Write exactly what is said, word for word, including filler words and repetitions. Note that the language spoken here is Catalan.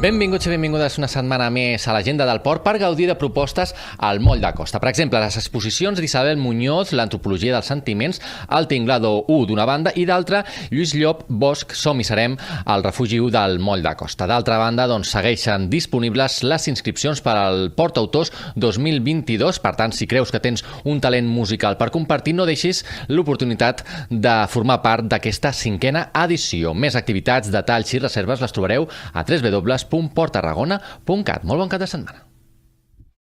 Benvinguts i benvingudes una setmana més a l'Agenda del Port per gaudir de propostes al Moll de Costa. Per exemple, les exposicions d'Isabel Muñoz, l'antropologia dels sentiments, el Tinglado u d'una banda i d'altra, Lluís Llop, Bosch, Som i serem al refugi u del Moll de Costa. D'altra banda, doncs, segueixen disponibles les inscripcions per al Port Autors dos mil vint-i-dos. Per tant, si creus que tens un talent musical per compartir, no deixis l'oportunitat de formar part d'aquesta cinquena edició. Més activitats, detalls i reserves les trobareu a w w w punt port tarragona punt cat. Molt bon cap de setmana.